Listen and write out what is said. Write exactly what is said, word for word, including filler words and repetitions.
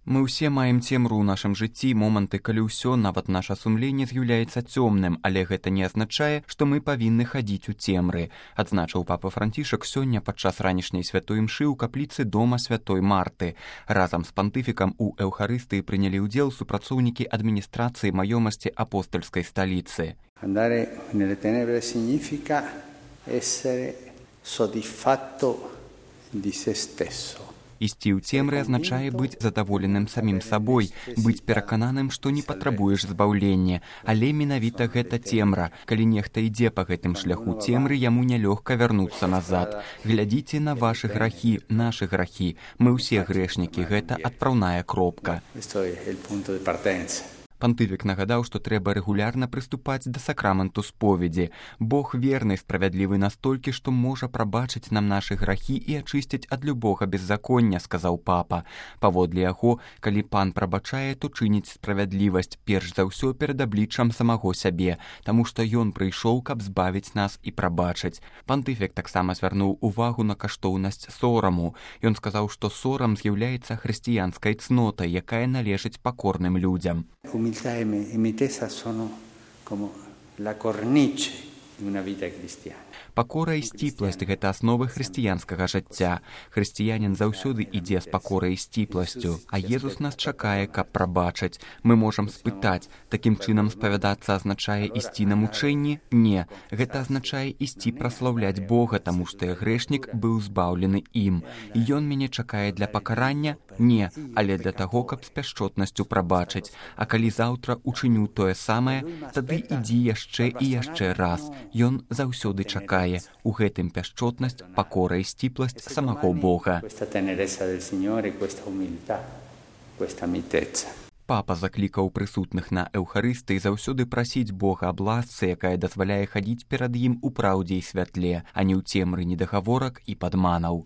Мы ўсе маем цемру ў нашым жыцці, моманты, калі ўсё, нават наша сумленне з'яўляецца цёмным, але гэта не азначае, што мы павінны хадзіць у цемры, адзначыў папа Францішак сёння падчас ранішняй святой імшы ў капліцы дома святой Марты. Разам з пантыфікам у эўхарыстыі прынялі ўдзел супрацоўнікі адміністрацыі маёмасці апостольскай сталіцы. Andare nelle tenebre significa essere soddisfatto di se stesso. Ісці ў цемры азначае быць задаволеным самім сабой, быць перакананым, што не патрабуеш збаўлення. Але менавіта гэта цемра. Калі нехта ідзе па гэтым шляху цемры, яму нялёгка вярнуцца назад. Глядзіце на вашы грахі, нашы грахі. Мы ўсе грэшнікі, гэта адпраўная кропка. Пантыфік нагадаў, што трэба рэгулярна прыступаць да сакраменту споведзі. Бог верны, справядлівы настолькі, што можа прабачыць нам нашы грахі і ачысціць ад любога беззаконня, сказаў папа. Паводле яго, калі пан прабачае, то чыніць справядлівасць, перш за ўсё перад абліччам самого сябе, таму што ён прыйшоў, каб збавіць нас і прабачыць. Пантыфік таксама звярнуў увагу на каштоўнасць сораму. Ён сказаў, што сорам з'яўляецца хрысціянскай цнотай, якая належыць пакорным людзям. Umiltà e mitezza sono come la cornice di una vita cristiana. Пакора і сціпласць – гэта асновы хрысціянскага жыцця. Хрысціянін заўсёды ідзе з пакорай і сціпласцю, а Езус нас чакае, каб прабачыць. Мы можам спытаць, такім чынам спавядацца азначае ісці на мучэнні? Не, гэта азначае ісці праслаўляць Бога, таму што я грэшнік быў збаўлены ім. І ён мяне чакае для пакарання? Не, але для таго, каб з пяшчотнасцю прабачыць. А калі заўтра учыню тое самае, тады ідзі яшчэ і яшчэ раз. Ён заўсёды чакае. У гэтым пяшчотнасць, пакора і сціпласць самого Бога. Папа заклікаў прысутных на эўхарыстыі заўсёды прасіць Бога аб ласцы, якая дазваляе хадзіць перад ім у праўдзе і святле, а не ў цемры недагаворак і падманаў.